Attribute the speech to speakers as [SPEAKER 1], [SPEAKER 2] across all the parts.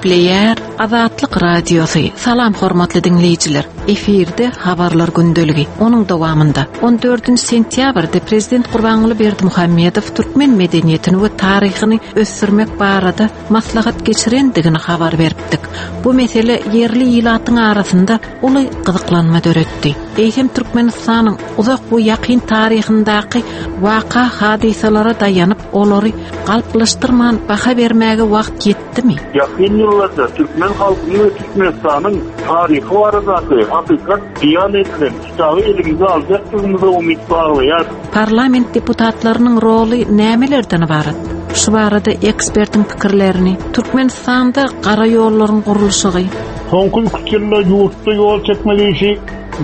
[SPEAKER 1] Gepleýär Azatlyk Radiosy. Salam hormatly diňleýjiler. Efirde habarlar gündeligi. Onuň dowamynda 14 sentýabrda Prezident Gurbanguly Berdimuhamedow türkmen medeniýetini we taryhyny ösdürmek barada maslahat geçirendigini habar beripdik. Bu mesele ýerli ilatyň arasynda uly gyzyklanma döretdi. Eýsem Türkmenistanyň uzak we ýakyn taryhyndaky waka-hadysalara daýanyp, olary galplaşdyrman baha bermäge wagt ýetdimi?
[SPEAKER 2] Ýakyn ýyllarda türkmen halkynyň we Türkmenistanyň taryhy baradaky hakykat beýan edilen kitaby elimize aljakdygymyza umyt baglaýarys.
[SPEAKER 1] Parlament deputatlarynyň roly nämelerden ybarat? Şu barada ekspertiň pikirlerini, Türkmenistanda gara ýollaryň gurluşygy,
[SPEAKER 3] Soňky üç ýylda ýurtda ýol çekmek işi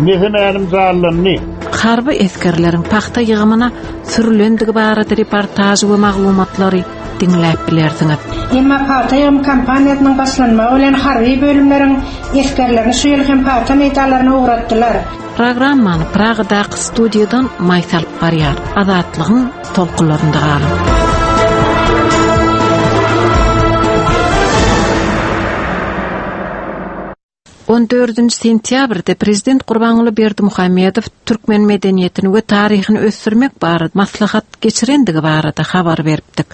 [SPEAKER 3] mese-mälim janlandy.
[SPEAKER 1] Harby esgerleriň pagta ýygymyna sürülendigi barada reportaž we maglumatlary diňläp bilersiňiz.
[SPEAKER 4] Emma pagta ýygym kampaniýasynyň başlanmagy bilen harby bölümleriň esgerlerini şu ýyl hem pagta meýdanlaryna ugratdylar.
[SPEAKER 1] Programmany Pragadaky studiýadan Maýsa alyp barýar. Azatlygyň tolkunlarynda galyň. On dördünji sentýabrda prezident Gurbanguly Berdimuhamedow türkmen medeniýetini we taryhyny ösdürmek barada maslahat geçirendigi barada habar beripdik.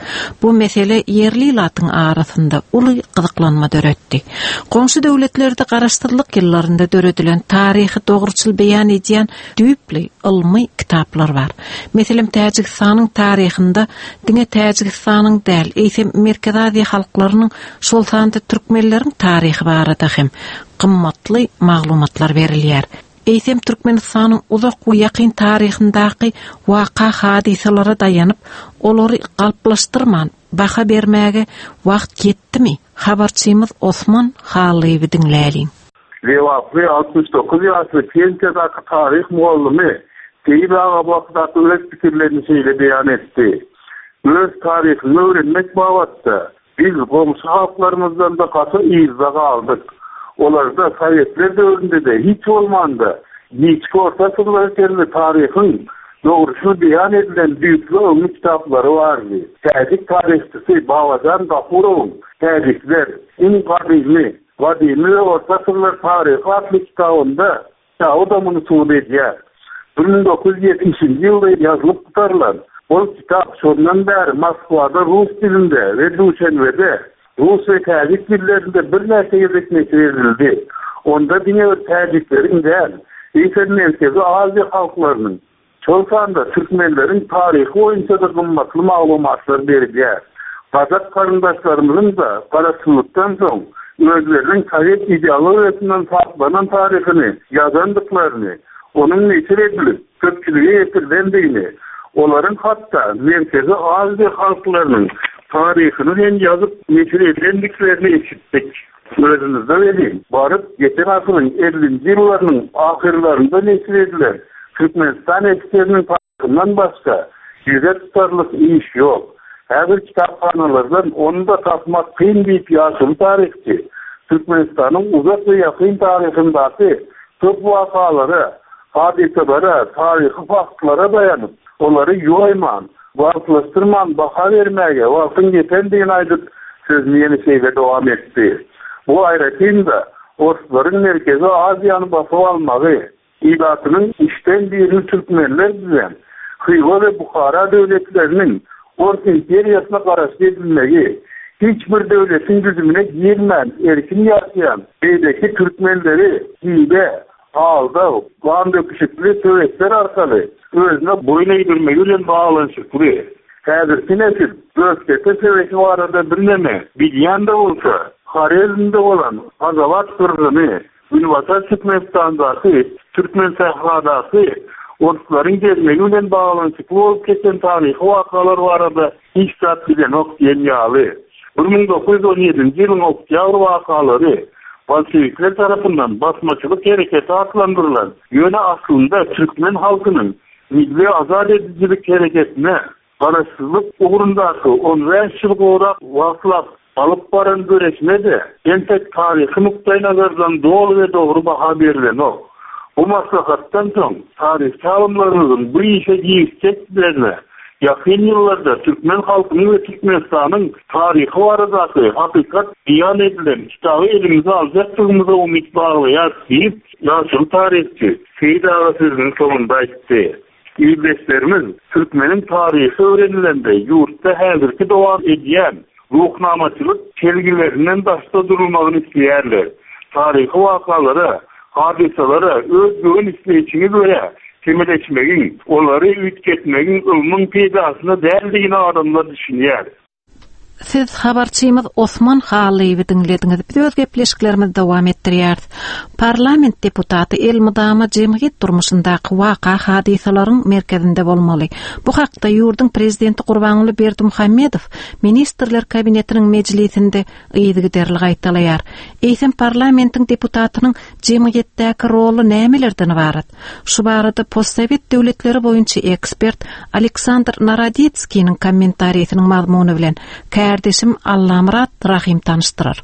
[SPEAKER 1] Bu mesele ýerli ilatyň arasynda uly gyzyklanma döretdi. Goňşy döwletlerde garaşsyzlyk ýyllarynda döredilen taryhy dogruçyl beýan edýän düýpli ylmy kitaplar bar. Meselem, Täjigistanyň taryhynda diňe Täjigistanyň däl, eýsem Merkezi Aziýa halklarynyň, şol sanda türkmenleriň taryhy barada hem gymmatly maglumatlar berilýär. Eýsem Türkmenistanyň uzak we ýakyn taryhyndaky waka-hadysalara daýanyp, olary galplaşdyrman baha bermäge wagt ýetdimi? Habarçymyz Osman Hallyýewi diňläliň.
[SPEAKER 2] Lebaply 69 ýaşly pensiýadaky taryh mugallymy Seýit aga bu hakdaky öz pikirlerini şeýle beýan etdi, Öz taryhyňy öwrenmek babatda biz goňşy halklarymyzdan-da gaty yzda galdyk. Olarda sowetler döwründe-de hiç bolmanda giçki orta asyrlara çenli taryhyň dogruçyl beýan edilen düýpli ylmy kitaplary bardy. Täjik taryhçysy Babajan Gafurowyň Täjikler, iň gadymy Gadymy we orta asyrlar taryhy atly kitabynda kitaby-da muny subut edýär. 1970-nji ýylda ýazylyp gutarylan ol kitap şondan bäri Moskwada rus dilinde we Duşenbede rus we täjik dillerinde birnäçe gezek neşir edildi. Onda diňe bir täjikleriň däl, eýsem Merkezi Aziýa halklarynyň, Şol sanda türkmenleriň taryhy boýunça-da gymmatly maglumatlar berilýär. Gazak garyndaşlarymyzyň-da garaşsyzlykdan soň özleriniň sowet ideologiýasyndan saplanan taryhyny ýazandyklaryny, onuň neşir edilip, köpçülige ýetirilendigini, olaryň hatda Merkezi Aziýa halklarynyň taryhyny hem ýazyp neşir edendiklerini eşitdik. Özümizde welin, baryp, geçen asyryň ellinji ýyllarynyň ahyrlarynda neşir edilen Türkmenistan esgeriniň taryhyndan başga ýüze tutarlyk iş ýok. Häzir kitaphanalardan ony-da tapmak kyn diýip ýaşuly taryhçy Türkmenistanyň uzak we ýakyn taryhyndaky köp wakalara, hadysalara, taryhy faktlara daýanyp, olary ýoýman, galplaşdyrman baha bermäge wagtyň ýetendigini aýdyp, sözüni ýene şeýle dowam etdi, Bu aýratyn-da, orslaryň Merkezi Aziýany basyp almagy, ilatynyň üçden birini türkmenler düzen Hywa we Buhara döwletleriniň Ors imperiýasyna garaşly edilmegi, hiç bir döwletiň düzümine girmän erkin ýaşaýan beýleki türkmenleri hile, aldaw, gan döküşikli söweşler arkaly özüne boýun egdirmegi bilen baglanyşykly. Häzirki nesil Gökdepe söweşi barada birneme bilýän-de bolsa, Horezmde bolan Gazawat gyrgyny, Günbatar Türkmenistandaky, Türkmensähradaky orslaryň gelmegi bilen baglanyşykly bolup geçen taryhy wakalar barada hiç zat bilenok diýen ýaly. 1917-nji ýylyň oktýabr wakalary bolşewikler tarapyndan basmaçylyk hereketi atlandyrylan, ýöne aslynda türkmen halkynyň milli azat edijilik hereketine Garaşsyzlyk ugrundaky on bäş ýyl gowrak wagtlap alyp baran göreşine-de entek taryhy nukdaýnazardan doly we dogry baha berlenok. Bu maslahatdan soň taryhçy alymlarymyzyň bu işe girişjekdiklerine. Ýakyn ýyllarda türkmen halkynyň we Türkmenistanyň taryhy baradaky hakykat beýan edilen kitaby elimize aljakdygymyza umyt baglaýarys diýip, ýaşuly taryhçy Seýit aga sözüniň soňunda aýtdy. Ildeşlerimiz türkmeniň taryhy öwrenilende ýurtda häzirki dowam edýän ruhnamaçylyk çelgilerinden daşda durulmagyny isleýärler. Taryhy wakalara, hadysalara öz göwün isleýşiňe görä çemeleşmegiň, olary üýtgetmegiň ylmyň peýdasyna däldigine adamlar düşünýär.
[SPEAKER 1] Siz habarçymyz Osman Hallyýewi diňlediňiz. Biz öz gepleşiklerimizi dowam etdirýäris. Parlament deputaty elmydama jemgyýet durmuşyndaky waka-hadysalaryň merkezinde bolmaly. Bu hakda ýurduň Prezidenti Gurbanguly Berdimuhamedow Ministrler Kabinetiniň mejlisinde yzygiderli gaýtalaýar. Eýsem parlamentiň deputatynyň jemgyýetdäki roly nämelerden ybarat? Şu barada postsowet döwletleri boýunça ekspert Aleksandr Narodetskiniň kommentariýsiniň mazmuny bilen kärdeşim Allamyrat Rahym tanyşdyrar.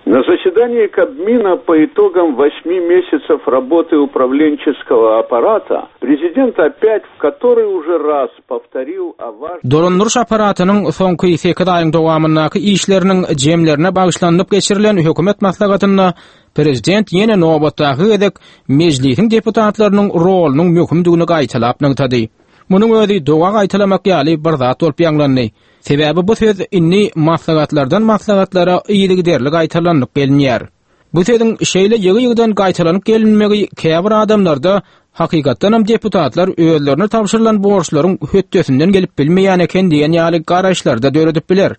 [SPEAKER 5] На заседании Кабмина по итогам восьми месяцев работы управленческого аппарата prezident опять в который уже раз повторил о важности
[SPEAKER 6] Dolandyryş apparatynyň soňky sekiz aýyň dowamyndaky işleriniň jemlerine bagyşlanylyp geçirilen hökümet maslahatynda prezident ýene nobatdaky gezek Mejlisiň deputatlarynyň rolunyň möhümdigini gaýtalap nygtady. Munuň özi doga gaýtalamak ýaly bir zat bolup ýaňlandy. Sebäbi bu söz indi maslahatlardan maslahatlara yzygiderli gaýtalanyp gelinýär. Bu sözüň şeýle ýygy-ýygydan gaýtalanyp gelinmegi käbir adamlarda hakykatdanam deputatlar özlerine tabşyrylan borçlaryň hötdesinden gelip bilmeýän eken diýen ýaly garaýyşlary-da döredip biler.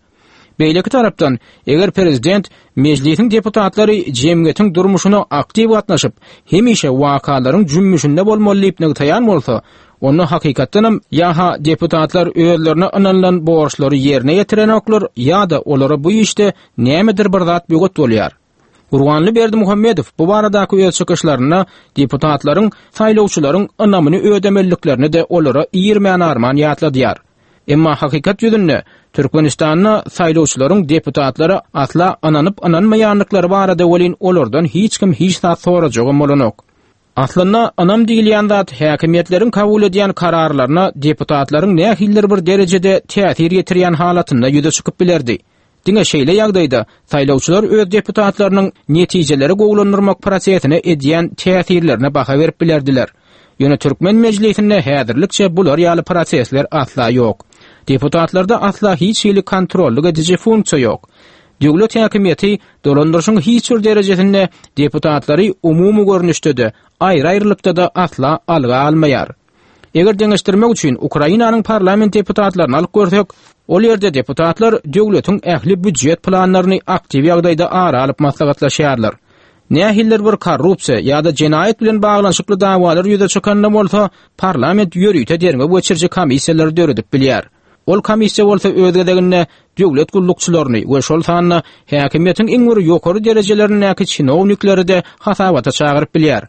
[SPEAKER 6] Beýleki tarapdan, eger prezident Mejlisiň deputatlary jemgyýetiň durmuşyna aktiw gatnaşyp, hemişe wakalaryň jümmüşinde bolmaly diýip nygtaýan bolsa, onda hakykatdanam ýa-ha deputatlar özlerine ynanylan borçlary ýerine ýetirenoklar ýa-da olara bu işde nämedir bir zat böwet bolýar. Gurbanly Berdimuhamedow bu baradaky öz çykyşlarynda deputatlaryň saýlawçylaryň ynamyny ödemeliliklerini-de olara irmän-arman ýatladýar. Emma hakykat ýüzünde Türkmenistanda saýlawçylaryň deputatlara asla ynanyp-ynanmaýandyklary barada welin olardan hiç kim hiç zat sorajagam bolanok. Aslynda ynam diýilýän zat häkimiýetleriň kabul edýän kararlaryna deputatlaryň nähilidir bir derejede täsir ýetirýän halatynda ýüze çykyp bilerdi. Diňe şeýle ýagdaýda saýlawçylar öz deputatlarynyň netijeleri gowulandyrmak prosesine edýän täsirlerine baha berip bilerdiler. Ýöne türkmen mejlisinde häzirlikçe bular ýaly prosesler asla ýok. Deputatlarda asla hiç hili kontrollyk ediji funksiýa ýok. Döwlet häkimiýeti dolandyryşyň hiç bir derejesinde deputatlary umumy görnüşde-de, aýry-aýrylykda-da asla alga almaýar. Eger deňeşdirmek üçin Ukrainanyň parlament deputatlaryny alyp görsek, ol ýerde deputatlar döwletiň ähli býujet planlaryny aktiw ýagdaýda ara alyp maslahatlaşýarlar. Nähilidir bir korrupsiýa ýa-da jenaýat bilen baglanyşykly dawalar ýüze çykanda bolsa, parlament ýörite derňew geçiriji komissiýalary döredip bilýär. Ol komissiýa bolsa öz gezeginde döwlet gullukçylaryny we şol sanda häkimiýetiň iň bir ýokary derejelerindäki çinownikleri-de hasabata çagyryp bilýär.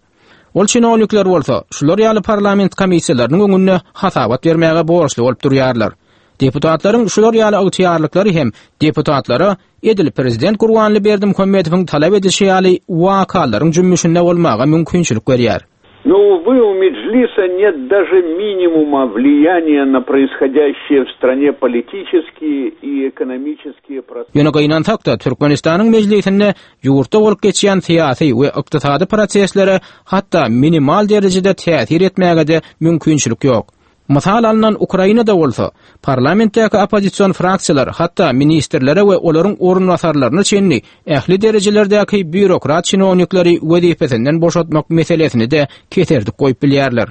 [SPEAKER 6] Ol çinownikler bolsa şular ýaly parlament komissiýalarynyň öňünde hasabat bermäge borçly bolup durýarlar. Deputatlaryň şular ýaly ygtyýarlyklary hem deputatlara edil prezident Gurbanly Berdimuhamedowyň talap edişi ýaly wakalaryň jümmüşinde bolmaga mümkinçilik berýär.
[SPEAKER 5] Но, увы, у Меджлиса нет даже минимума влияния на происходящие в стране политические и экономические процессы.
[SPEAKER 6] Ýöne gynansak-da, Türkmenistanyň Mejlisinde ýurtda bolup geçýän syýasy we ykdysady proseslere hatda minimal derejede täsir etmäge-de mümkinçilik ýok. Mysal alnan Ukrainada bolsa, parlamentdäki oppozision fraksiýalar hatda ministrlere we olaryň orunbasarlaryna çenli ähli derejelerdäki býurokrat çinownikleri wezipesinden boşatmak meselesini-de keserdip goýup bilýärler.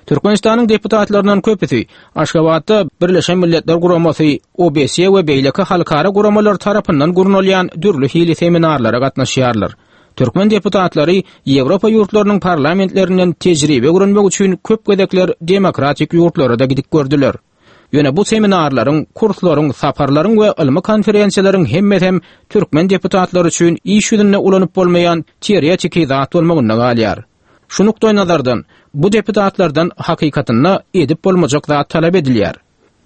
[SPEAKER 6] Türkmenistanyň deputatlaryndan köpüsi Aşgabatda Birleşen Milletler Guramasy, OBSE we beýleki halkara guramalar tarapyndan gurnalýan dürli hili seminarlara gatnaşýarlar. Türkmen deputatlary Ýewropa ýurtlarynyň parlamentlerinden tejribe öwrenmek üçin köp gezekler demokratik ýurtlara-da gidip gördüler. Ýöne bu seminarlaryň, kurslaryň, saparlaryň we ylmy konferensiýalaryň hemmesem türkmen deputatlary üçin iş ýüzünde ulanyp bolmaýan teoretiki zat bolmagynda galýar. Şu nukdaýnazardan, bu deputatlardan hakykatynda edip bolmajak zat talap edilýär.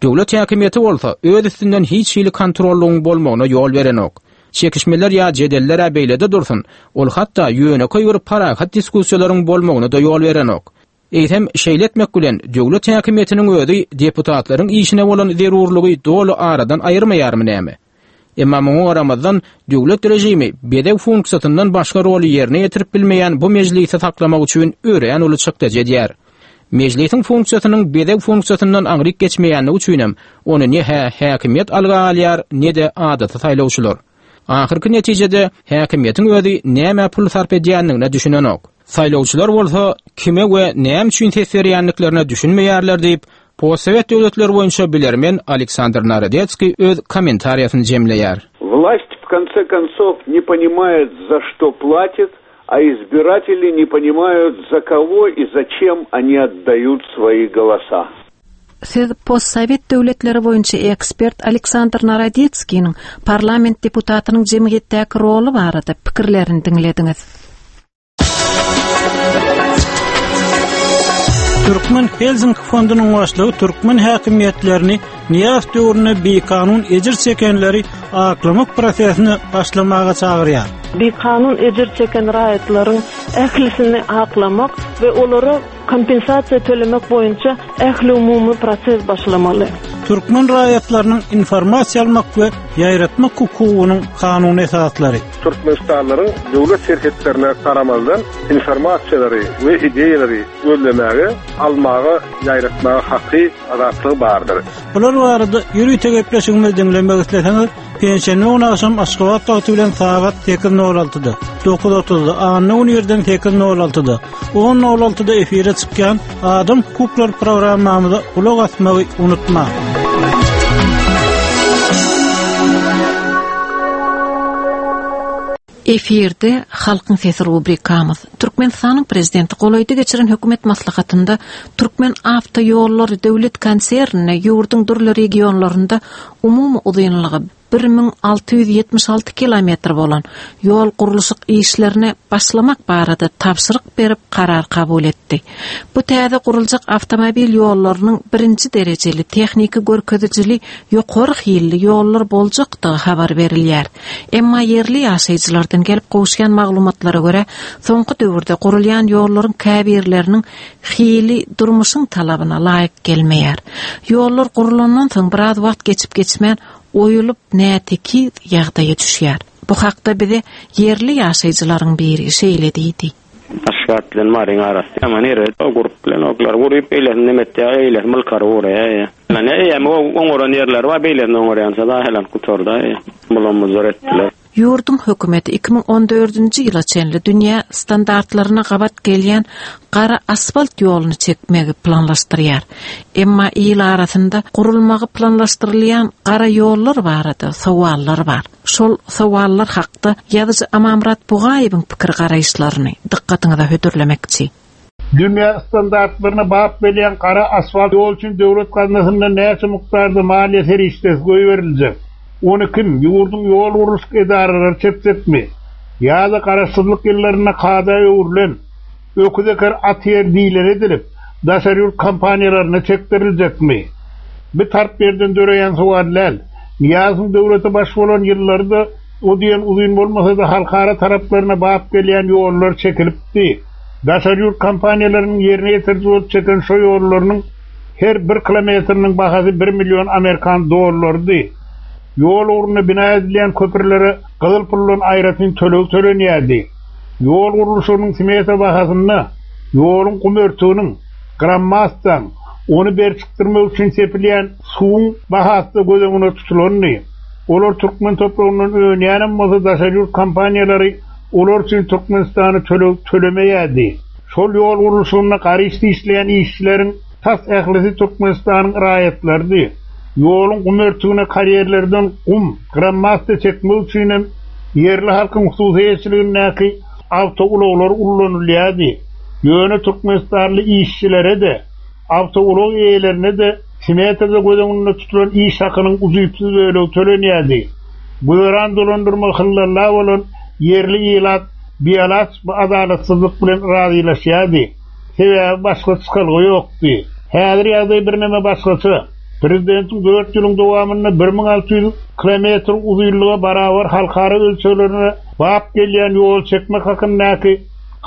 [SPEAKER 6] Döwlet häkimiýeti bolsa öz üstünden hiç hili kontrollygyň bolmagyna ýol berenok. Çekişmeler ýa jedeller-ä beýlede dursun, ol hatda ýönekeý bir parahat diskussiýalaryň bolmagyna-da ýol berenok. Eýsem, şeýle etmek bilen, döwlet häkimiýetiniň özi deputatlaryň işine bolan zerurlygy doly aradan aýyrmaýarmy näme? Emma muňa garamazdan, döwlet režimi bezeg funksiýasyndan başga roly ýerine ýetirip bilmeýän bu mejlisi saklamak üçin örän uly çykdajy edýär. Mejlisiň funksiýasynyň bezeg funksiýasyndan aňryk geçmeýänligi üçinem ony ne-hä häkimiýet alga alýar, ne-de adaty saýlawçylar. Ahyrky netijede, häkimiýetiň özi nämä pul sarp edýändigine düşünenok. Saýlawçylar bolsa kime we näme üçin ses berýändiklerine düşünmeýärler diýip, postsowet döwletleri boýunça bilermen Aleksandr Narodetskiý öz kommentariýasyny jemleýär.
[SPEAKER 5] Власть в конце концов не понимает, за что платит, а избиратели не понимают, за кого и зачем они отдают свои голоса.
[SPEAKER 1] Siz postsowet döwletleri boýunça ekspert Aleksandr Narodetskiniň parlament deputatynyň jemgyýetdäki roly barada pikirlerini diňlediňiz.
[SPEAKER 7] Türkmen Helsinki fondunyň başlygy türkmen häkimiýetlerini Nyýazow döwründe bikanun ejir çekenleri aklamak prosesine başlamaga çagyrýar.
[SPEAKER 8] Bikanun ejir çeken raýatlaryň ählisini aklamak we olara kompensasiýa tölemek boýunça ähliumumy proses başlamaly.
[SPEAKER 7] Türkmen raýatlarynyň informasiýa almak we ýaýratmak hukugynyň kanuny esaslary.
[SPEAKER 2] Türkmenistanlylaryň döwlet serhetlerine garamazdan informasiýalary we ideýalary gözlemäge, almaga, ýaýratmaga haky, azatlygy bardyr.
[SPEAKER 7] Bular barada ýörite gepleşigimizi diňlemek isleseňiz, penşenbe güni agşam Aşgabat wagty bilen sagat 8:06-da, 9:30-da, anna güni irden 8:06-da, 10:06-da efire çykýan Adam hukuklary programmamyza gulak asmagy unutmaň.
[SPEAKER 1] Efirde Halkyň sesi rubrikamyz. Türkmenistanyň Prezidenti golaýda geçiren hökümet maslahatynda Türkmen awtoýollary döwlet konsernine ýurduň dürli regionlarynda umumy uzynlygy 1676 kilometr bolan ýol gurluşyk işlerine başlamak barada tabşyryk berip karar kabul etdi. Bu täze guruljak awtomobil ýollarynyň birinji derejeli tehniki görkezijili ýokary hilli ýollar boljakdygy habar berilýär. Emma ýerli ýaşaýjylardan gelip gowuşýan maglumatlara görä, soňky döwürde gurulýan ýollaryň käbirleriniň hili durmuşyň talabyna laýyk gelmeýär. Ýollar gurulandan soň biraz wagt geçip-geçmän oýulyp nätekiz ýagdaýa düşýär. Bu hakda bize ýerli ýaşaýjylaryň biri şeýle diýdi.
[SPEAKER 9] Aşgabat bilen Maryň arasy ýaman erbet. O gurup bilenoklar. Guryp beýlesini neme etýär, eýlesi mylkary guraýar. Ýa eýýäm oňaran ýerleri bar, beýlesini oňarýança da helan gutardy. Bulam-buzar etdiler.
[SPEAKER 1] Ýurduň hökümeti 2014-nji ýyla çenli dünýä standartlaryna gabat gelýän gara asfalt ýoluny çekmegi planlaşdyrýar. Emma il arasynda gurulmagy planlaşdyrylýan gara ýollar barada sowallar bar. Şol sowallar hakda ýazyjy Amanmyrat Bugaýewiň pikir-garaýyşlaryny dykgatyňyza hödürlemekçi.
[SPEAKER 3] Dünýä standartlaryna bap gelýän gara asfalt ýol üçin döwlet gaznasyndan näçe mukdarda maliýe serişdesi goýberiljek? Ony kim, ýurduň ýol gurluşyk edaralary çekjekmi? Ýa-da garaşsyzlyk ýyllarynda kada öwrülen, öküz eker at ýer diýleni edilip, daşary ýurt kompaniýalaryna çekdiriljekmi? Bi tarp ýerden döreýän sowal däl. Nyýazowyň döwlete baş bolan ýyllary-da o diýen uzyn bolmasa-da halkara taraplaryna bap gelýän ýollar çekilipdi. Daşary ýurt kompaniýalarynyň ýerine ýetiriji bolup çeken şo ýollarynyň her bir kilometriniň bahasy bir million amerikan dollarydy. Ýol ugrunda bina edilýän köprülere gyzyl puldan aýratyn töleg tölenýärdi. Ýol gurluşygynyň smeta bahasynda ýoluň gum örtüginiň, grammastaň, ony berçikdirmek üçin sepilýän suwuň bahasy-da göz öňüne tutulandy. Olar türkmen topragyndan önýänem bolsa daşary ýurt kompaniýalary Olar üçin Türkmenistana töleg tölemeýärdi. Şol ýol gurluşygynda garyş dişleýän işçileriň tas ählisi Türkmenistanyň raýatlarydy. Ýoluň gum örtügine karýerlerden gum, grammasta çekmek üçinem ýerli halkyň hususy eýeçiligindäki awtoulaglar ullanylýardy. Ýöne türkmenistanly işçilere-de, awtoulag eýelerine-de smetada göz öňünde tutulan iş hakynyň ujypsyz bölegi tölenýärdi. Güzeran dolandyrma hyllalla bolan ýerli ilat bialaç bu adalatsyzlyk bilen razylaşýardy. Sebäbi başga çykalga ýokdy. Häzir ýagdaý birneme başgaça. Prezidentiň dört ýylyň dowamynda 1600 kilometr uzynlyga barabar halkara ölçeglerine bap gelýän ýol çekmek hakyndaky.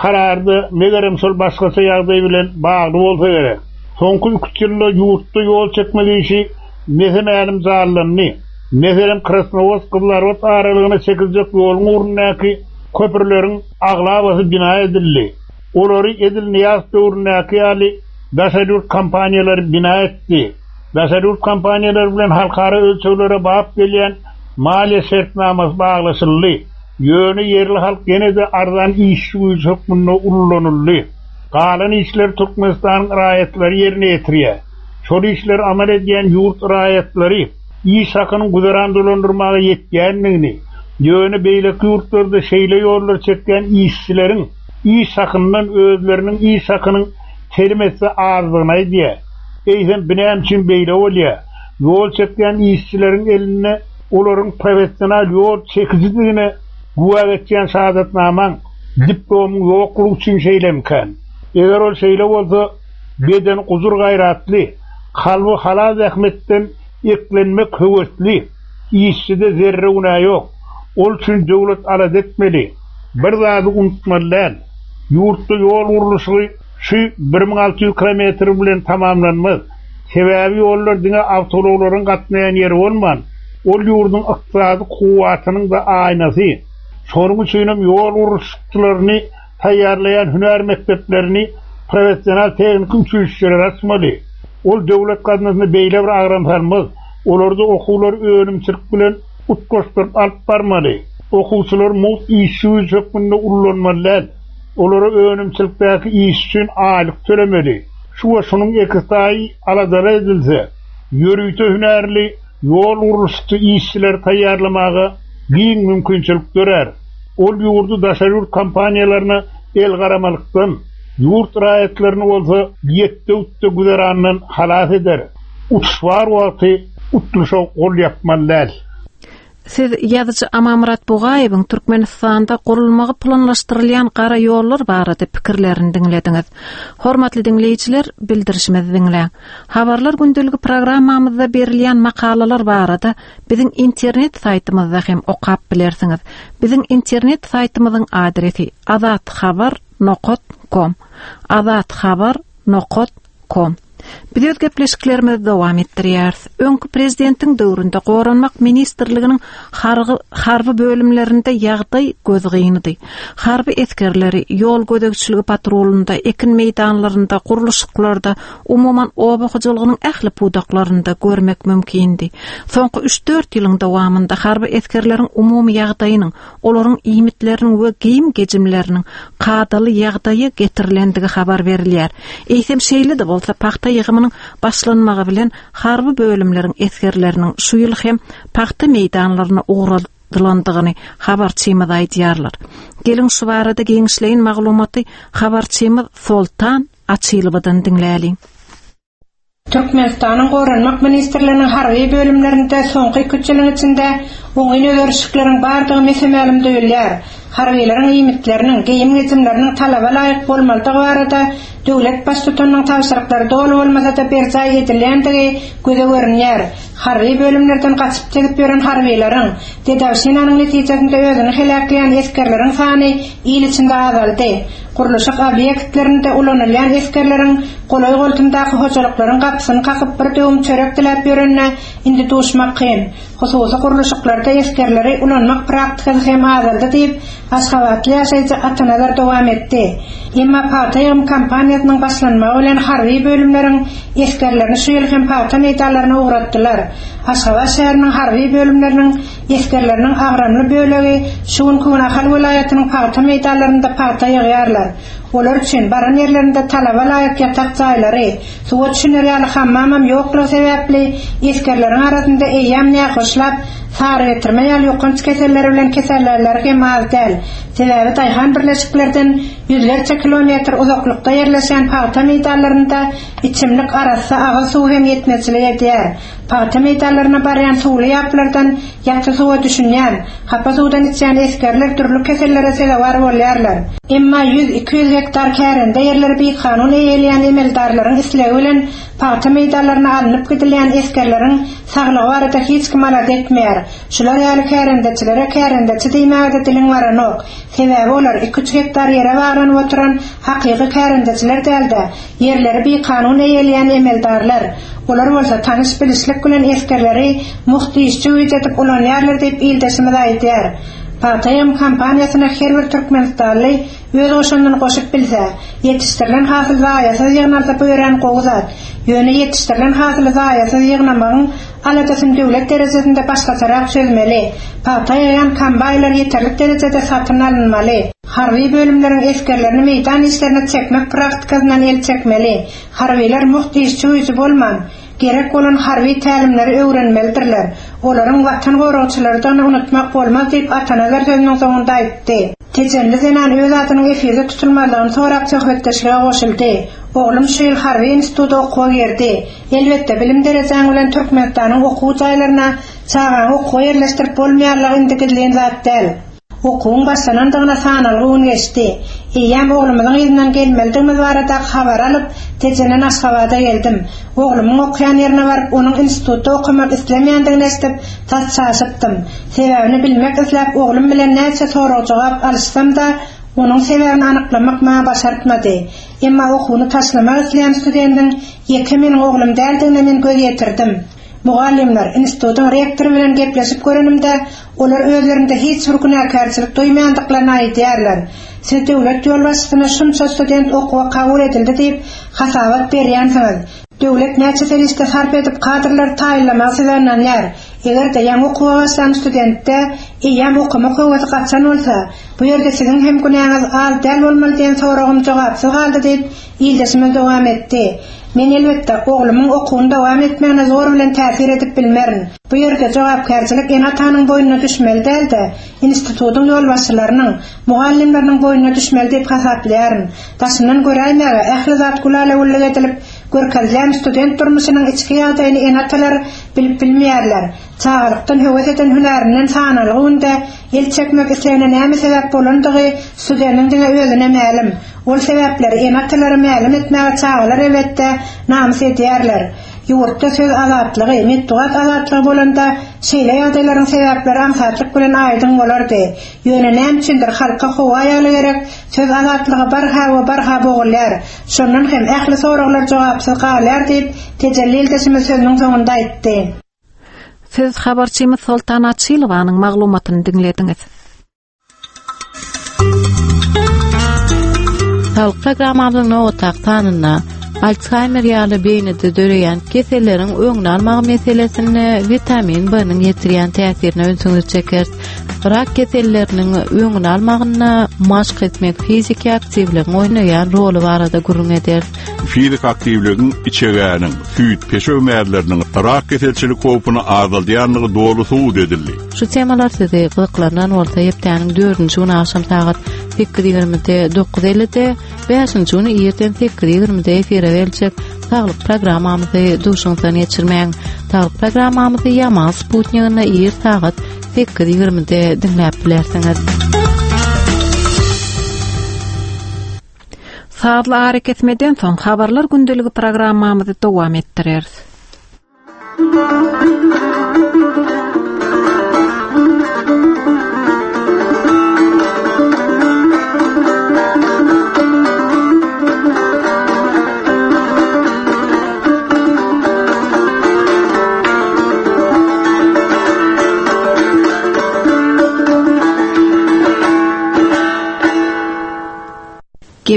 [SPEAKER 3] Kararda megerem şol başgaça ýagdaý bilen bagly bolsa gerek. Soňky iki-üç ýylda ýurtda ýol çekmek işi mese-mälim janlandy. Meselem, Krasnowodsk-Gyzylarbat aralygyna çekiljek ýoluň ugrundaky köprüleriň aglabasy bina edildi. Olary edil Nyýazow döwründäki ýaly daşary ýurt kompaniýalary bina etdi. Daşary ýurt kompaniýalary bilen halkara ölçeglere bap gelýän maliýe şertnamasy baglaşyldy. Ýöne ýerli halk ýene-de arzan işçi güýji hökmünde ullanyldy. Galan işleri Türkmenistanyň raýatlary ýerine ýetirýär. Şol işleri amal edýän ýurt raýatlary iş hakynyň güzeran dolandyrmaga ýetýändigini, ýöne beýleki ýurtlarda şeýle ýollary çekýän işçileriň iş hakyndan özleriniň iş hakynyň telim esse azdygyny aýdýar. Eýsem, bu näme üçin beýle bolýar? Ýol çekýän işçileriň elinde olaryň professional ýol çekijidigine güwä geçýän şahadatnamaň, diplomyň ýoklugy üçin şeýlemikän? Eger ol şeýle bolsa, bedeni gujur-gaýratly, kalby halal zähmetden eklenmek höwesli işçide zerre günä ýok. Ol üçin döwlet alada etmeli. Bir zady unutmaly däl, ýurtda ýol gurluşygy şu 1600 kilometr bilen tamamlanmaz. Sebäbi ýollar diňe awtoulaglaryň gatnaýan ýeri bolman, ol ýurduň ykdysady kuwwatynyň-da aýnasy. Şonuň üçinem ýol gurluşykçylaryny taýýarlaýan hünär mekdeplerini, professional tehniki uçilişşeleri açmaly. Ol döwlet gaznasyna beýle bir agram salmaz. Olarda okuwlary önümçilik bilen utgaşdyryp alyp barmaly. Okuwçylary mugt işçi güýji hökmünde ullanmaly däl. Olara önümçilikdäki işi üçin aýlyk tölemeli. Şu we şunuň ekiztaýy aladalar edilse, ýörite hünärli ýol gurluşykçy işçileri taýýarlamaga giň mümkinçilik dörär. Ol ýurdy daşary ýurt kompaniýalaryna elgaramalykdan, ýurt raýatlaryny bolsa ýetde-ütde güzerandan halas eder. Utuş bar wagty utluşa gol ýapmaly däl.
[SPEAKER 1] Siz ýazyjy Amanmyrat Bugaýewiň Türkmenistanda gurulmagy planlaşdyrylýan gara ýollar barada pikirlerini diňlediňiz. Hormatly diňleýjiler, bildirişimizi diňläň. Habarlar gündeligi programmamyzda berilýän makalalar barada biziň internet saýtymyzda hem okap bilersiňiz. Biziň internet saýtymyzyň adresi azathabar nokat kom. Azathabar nokat kom. Biz öz gepleşiklerimizi dowam etdirýäris. Öňki prezidentiň döwründe Goranmak ministrliginiň harby, harby bölümlerinde ýagdaý gözgynydy. Harby esgerleri ýol gözegçiligi patrulynda, ekin meýdanlarynda, gurluşyklarda, umuman oba hojalygynyň ähli pudaklarynda görmek mümkindi. Soňky üç-dört ýylyň dowamynda harby esgerleriň umumy ýagdaýynyň, olaryň iýmitleriniň we geýim-gejimleriniň kadaly ýagdaýa getirilendigi habar berilýär. Eýsem, şeýle-de bolsa, pagta ýygymynyň başlanmagy bilen harby bölümleriň esgerleriniň şu ýyl hem pagta meýdanlaryna ugradylandygyny habarçymyz aýdýarlar. Geliň, şu barada giňişleýin maglumaty habarçymyz Soltan Açylowadan diňläliň.
[SPEAKER 4] Türkmenistanyň Goranmak ministrliginiň harby bölümlerinde soňky iki-üç ýylyň içinde oňyn özgerişlikleriň bardygy mese-mälim duýulýar. Harbylaryň iýmitleriniň, geýim-gejimleriniň talaba laýyk bolmalydygy barada döwlet Baştutanynyň tabşyryklary doly bolmasa-da berjaý edilýändigi göze görünýär. Harby bölümlerden gaçyp-tezip ýören harbylaryň, dedowşinanyň netijesinde özüni heläkleýän esgerleriň sany il içinde azaldy. Gurluşyk obýektlerinde ulanylýan esgerleriň golaý-goltumdaky hojalyklaryň gapysyny kakyp bir döwüm çörek diläp ýörenine indi duşmak kyn. Hususy gurluşyklarda esgerleri ulanmak praktikasy hem azaldy diýip, aşgabatly ýaşaýjy Atanazar dowam etdi. Emma pagta ýygym kampaniýasynyň başlanmagy bilen harby bölümleriň esgerlerini şu ýyl hem pagta meýdanlaryna ugratdylar. Aşgabat şäheriniň harby bölümleriniň Esgerleriniň agramly bölegi şu günki gün Ahal welaýatynyň pagta meýdanlarynda pagta ýygýarlar. Olar üçin baran ýerlerinde talaba laýyk ýatak jaýlary, suwa düşüner ýaly hammamam ýoklugy sebäpli esgerleriň arasynda eýýäm nähoşlap, sarygetirme ýaly ýokanç keselleri bilen kesellänleri hem az däl. Sebäbi daýhan birleşiklerden ýüzlerçe kilometr uzaklykda ýerleşýän pagta meýdanlarynda içimlik arassa agyz suwy hem ýetmezçilik edýär. Pagta meýdanlaryna barýan suwly ýaplardan ýaty suwa düşünýän, hapa suwdan içýän esgerler dürli kesellere sezewar bolýarlar. Emma ýüz-iki ýüz gektar kärende ýerleri bikanun eýeleýän emeldarlaryň islegi bilen pagta meýdanlaryna alnyp gidilýän esgerleriň saglygy barada hiç kim alada etmeýär. Şular ýaly kärendeçilere kärendeçi diýmäge-de diliň baranok. Sebäbi olar iki-üç gektar ýere baglanyp oturan hakyky kärendeçiler däl-de, ýerleri bikanun eýeleýän emeldarlar. Olar bolsa tanyş-bilişlik bilen esgerleri mugt işçi güýji edip ulanýarlar diýip ildeşimiz aýdýar. Pagta ýygym kampaniýasyna her bir türkmenistanly öz goşandyny goşup bilse, ýetişdirilen hasyl zaýasyz ýygnalsa bu örän gowy zat. Ýöne ýetişdirilen hasyly zaýasyz ýygnamagyň aladasyny döwlet derejesinde başgaçarak çözmeli. Pagta ýygýan kombaýnlar ýeterlik derejede satyn alynmaly. Harby bölümleriň esgerlerini meýdan işlerine çekmek praktikasyndan el çekmeli. Harbylar mugt işçi güýji bolman, gerek bolan harby tälimleri öwrenmelidirler. Olaryň Watan goragçylarydygyny unutmak bolmaz diýip Atanazar sözüniň soňunda aýtdy. Tejenli zenan öz adynyň efirde tutulmazlygyny sorap söhbetdeşlige goşuldy. Oglum şu ýyl harby instituta okuwa girdi. Elbetde, bilim derejäň bilen Türkmenistanyň okuw jaýlaryna çagaňy okuwa ýerleşdirip bolmaýanlygy indi gizlin zat däl. Okuwyň başlanandygyna sanalgy gün geçdi. Eýýäm oglumyzyň yzyndan gelmelidigimiz baradaky habary alyp, Tejenden Aşgabada geldim. Oglumyň okaýan ýerine baryp, onuň institutda okamak islemeýändigini eşidip, tas çaşypdym. Sebäbini bilmek isläp, oglum bilen näçe sorag-jogap alyşsam-da, onuň sebäbini anyklamak maňa başartmady. Emma okuwyny taşlamak isleýän studendiň ýeke meniň oglum däldigine men göz ýetirdim. Mugallymlar, institutyň rektory bilen gepleşip görenimde, olar özlerinde hiç bir günäkärçilik duýmaýandyklaryny aýdýarlar. Siz döwlet ýolbaşçysyna şunça student okuwa kabul edildi diýip, hasabat berýänsiňiz. Döwlet näçe serişde sarp edip kadrlary taýynlamagy size ynanýar. Eger-de ýaňy okuwa başlan studentde eýýäm okamak höwesi gaçan bolsa, bu ýerde siziň hem günäňiz az däl bolmaly diýen soragym jogapsyz galdy diýip, ildeşimiz dowam etdi. Men elbetde, oglumyň okuwyny dowam etmegine zor bilen täsir edip bilmerin. Bu ýerde jogapkärçilik ene-atanyň boýnuna düşmeli däl-de, institutyň ýolbaşçylarynyň, mugallymlarynyň boýnuna düşmeli diýip hasaplaýaryn. Daşyndan göräýmäge, ähli zat gülala-güllük edilip, Görkezilýän student durmuşynyň içki ýagdaýyny ene-atalar bilip bilmeýärler. Çagalykdan höwes eden hünärinden sanalgy günde el çekmek islegine näme sebäp bolandygy studentiň diňe özüne mälim. Ol sebäpleri ene-atalara mälim etmäge çagalar elbetde namys edýärler. Ýurtda söz azatlygy, metbugat azatlygy bolanda şeýle ýagdaýlaryň sebäpleri aňsatlyk bilen aýdyň bolardy. Ýöne näme üçindir halka howa ýaly gerek söz azatlygy barha we barha bogulýar. Şondan hem ähli soraglar jogapsyz galýar diýip, Tejelli ildeşimiz sözüniň soňunda aýtdy.
[SPEAKER 1] Siz habarçymyz Soltan Açylowanyň maglumatyny diňlediňiz.
[SPEAKER 10] Saglyk programmamyzyň nobatdaky sanynda Alshaýmer ýaly beýnide döreýän keselleriň öňüni almak meselesinde witamin B-niň ýetirýän täsirine ünsüňizi çekeris. Rak keselleriniň öňüni almagynda maşk etmek fiziki aktiwligiň oýnaýan roly barada gürrüň ederis.
[SPEAKER 11] Fiziki aktiwligiň içegäniň, süýt, peşew mäzleriniň rak keselçilik howpuny azaldýandygy doly subut edildi.
[SPEAKER 10] Şu temalar sizi gyzyklandyran bolsa hepdäniň dördünji güni agşam sagat 8:20-de, 9:50-de, bäşinji güni irden 8:20-de efire beriljek Saglyk programmamyzy duşuňyzdan geçirmäň. Saglyk programmamyzy Ýamal sputniginde ir sagat 8:20-de diňläp bilersiňiz.
[SPEAKER 1] Sazly arakesmeden soň Habarlar gündeligi programmamyzy dowam etdireris.